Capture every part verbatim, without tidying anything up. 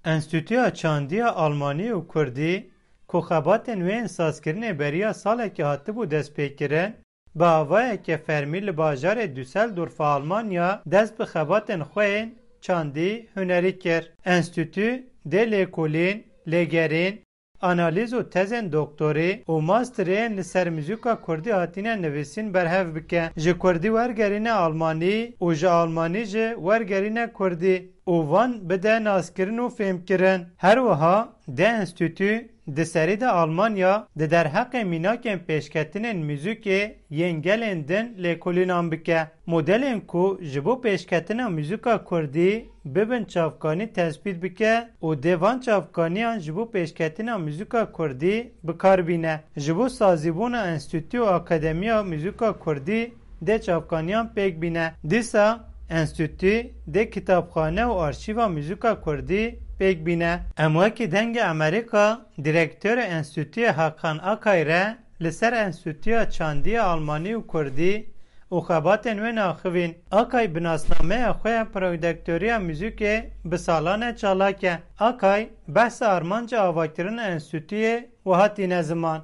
Enstîtuya Çandiya Almanî û Kurdî, ku xebatên wê yên sazkirinê beriya salekê hatibû destpêkirin, bi avayeke fermî li bajarê Düsseldorfa Almanya dest bi xebatên xwe yên çandî hunerî kir. Enstîtu dê lêkolîn, lêgerîn, analîz û tezên doktorî û masterê yên li ser muzîka kurdî hatine nivîsîn berhev bike. Ji kurdî wergerîne almanî û ji almanî jî wergerîne kurdî û van bide naskirin û fêmkirin. Her wiha di enstîtu di serî de Almanya di derheqê mînakên pêşketinên muzîkê yên gelên din lêkolînan bike. Modelên ku ji bo pêşketina muzîka kurdî bibin çavkanî tespît bike û dê van çavkaniyan ji bo pêşketina muzîka kurdî bi kar bîne. Ji bo sazîbûna enstîtu û akademiya muzîka kurdî dê çavkaniyan pêk bîne. Dîsa enstîtu dê kitabxane û arşîva muzîka kurdî pêk bîne. Em wekî Dengê Amerîka, direktorê enstîtuyê Hakan Akay re li ser Enstîtuya Çandiya Almanî û Kurdî û xebatên wê naxivîn. Akay bi nasnameya xwe ya prodektoriya muzîkê bi salan e çalak e. Akay behsa armanca avakirina enstîtuyê wiha tîne ziman.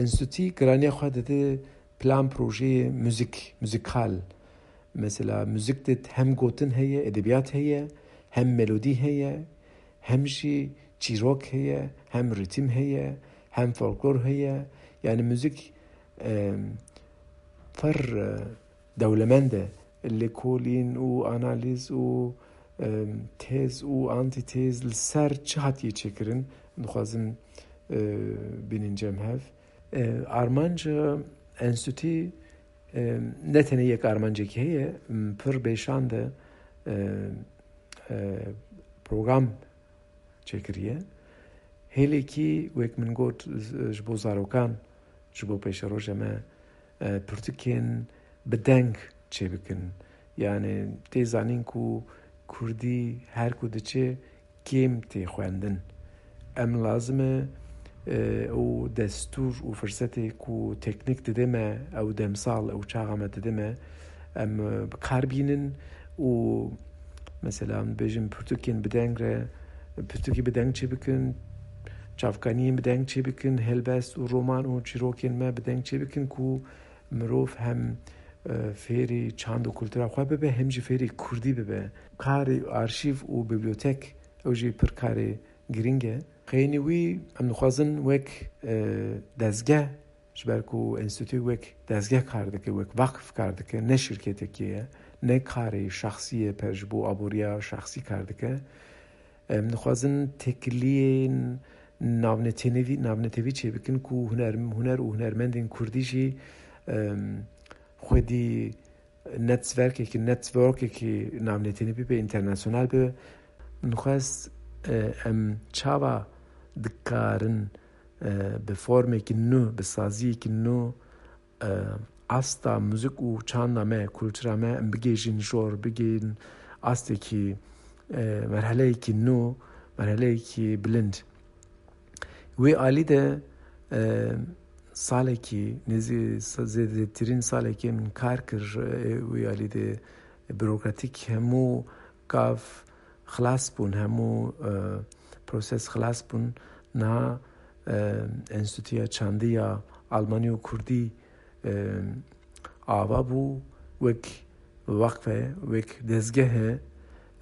Enstîtû giraniya xwe dide plan projeyê muzîk, muzîkal. Mesela muzîk de hem gotin heye, edebiyat heye, hem melodî heye, hem jî çîrok heye, hem rîtim heye, hem folklor heye. Yani muzîk, e, pir, e, dewlemend e. Lêkolîn û analîz û, e, tez û antîtez li ser çi hatiye çêkirin, dixwazim, e, bînin cem hev. E, armanca enstîtû, e, ne tenê yek armancekî heye, m, pir bêşand e, e, e, program çêkiriye. Hêlekî, wek min got, ji bo zarokan, ji bo pêşerojê me, e, pirtûkên bi deng çêbikin. Yani tê zanîn ku kurdî her ku diçe kêm tê xwendin. Em lazim e, e, ew destûr û firsetê ku teknîk dide me, ew demsal, ew çaxa me dide me, em, e, bi kar bînin û mesela em dibêjin pirtûkên bi deng re, pirtûkî bi deng çêbikin, çavkaniyên bi deng çêbikin, helbest û roman û çîrokên me bi deng çêbikin ku mirov hem, e, fêrî çand û kultura xwe bibe, hem jî fêrî kurdî bibe. Karê arşîv û bibliotek, ew jî pir karê girîng e. Xeynî wî em dixwazin wek, e, dezgeh, ji ber ku enstîtû wek dezgeh kar dike, wek vakif kar dike, ne şirketekê ye, ne karê şexsî ye, per ji bo aboriya şexsî kar dike. Em dixwazin têkiliyên navnetênevî-, navnetevî çêbikin ku huner, huner û hunermendên kurdî jî, em, xwedî netzwerkekî, networkekî navnetênî bibe, internasyonal bibe. Min xwest, e, em çawa dikarin, e, bi formekî nû, bi saziyekî nû, e, asta muzîk û çanda me, kultura me em bigêjin jor, bigên astekî, e, merheleyekî nû, merheleyekî bilind. Wê alî de, e, salekî, nêzî sa-, zêdetirîn salekê min kar kir, e, wê alî de burokratîk hemû gav xilas bûn, hemû, e, proses xilas bûn. Niha, e, Enstîtuya Çandî ya Almanî û Kurdî, e, ava bû, wek weqfe, wek dezgehe,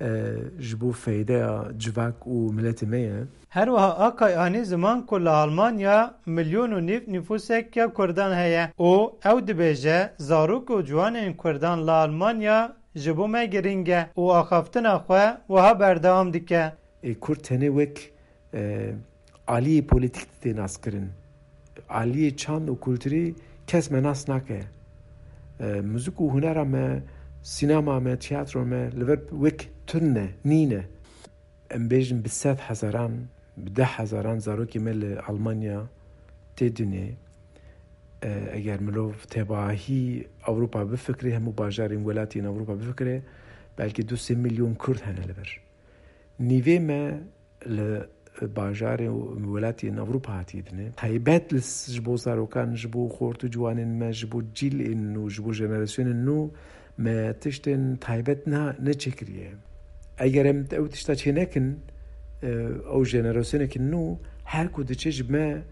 e, ji bo feydeya civak û miletê me ye. Her wiha Akay anî ziman ku li Almanya milyon û nîv nifûsek ya Kurdan heye û ew dibêje, zarok û ciwanên Kurdan li Almanya ji bo me girîng e û axaftina xwe wiha berdewam dike. Ê Kurd tenê wek, e, aliyê polîtîk dide naskirin. Aliyê çand û kulturî kes me nas nake. E, muzîk û hunera me, sînema me, tiyatro me li vir wek tune, nîne. Em bêjin bi sed hezaran, bi deh hezaran zarokê me li Almanya tê dinê. E, eger mirov tebahî Ewropa bifikirê, hemû bajarên welatiyên Ewropa bifikirê, belkî du sê milyon Kurd hene li vir. Nîvê me li bajarê û welatiyên Ewropa hatiye dinê. Taybet li s-, ji bo zarokan, ji bo xort û ciwanên me, ji bo cîlên nû, ji bo jenerasyonên nû me tiştên taybet na-, neçêkiriye. Eger em ew tişta çênekin, Ew jenerasyonek nû her ku diçe ji me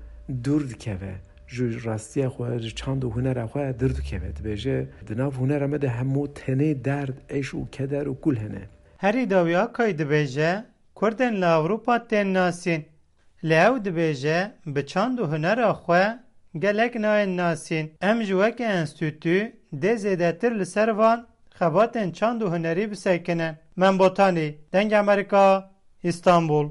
dûr dikeve. Ji rastiya xwe, ji çand û hunera xwe dûr dikeve. Dibêje, di nav hunera me de hemû tenê derd, eş û keder û kul hene. Herî dawî Akay dibêje, Kurdên li Ewropa tên nasîn. Lê ew dibêje, bi çand û hunera xwe gelek nayên nasîn. Em jî weke enstîtû dê zêdetir li ser van xebatên çand û hunerî bisekinin. Mem Botanî, Dengê Amerîka, Îstanbul.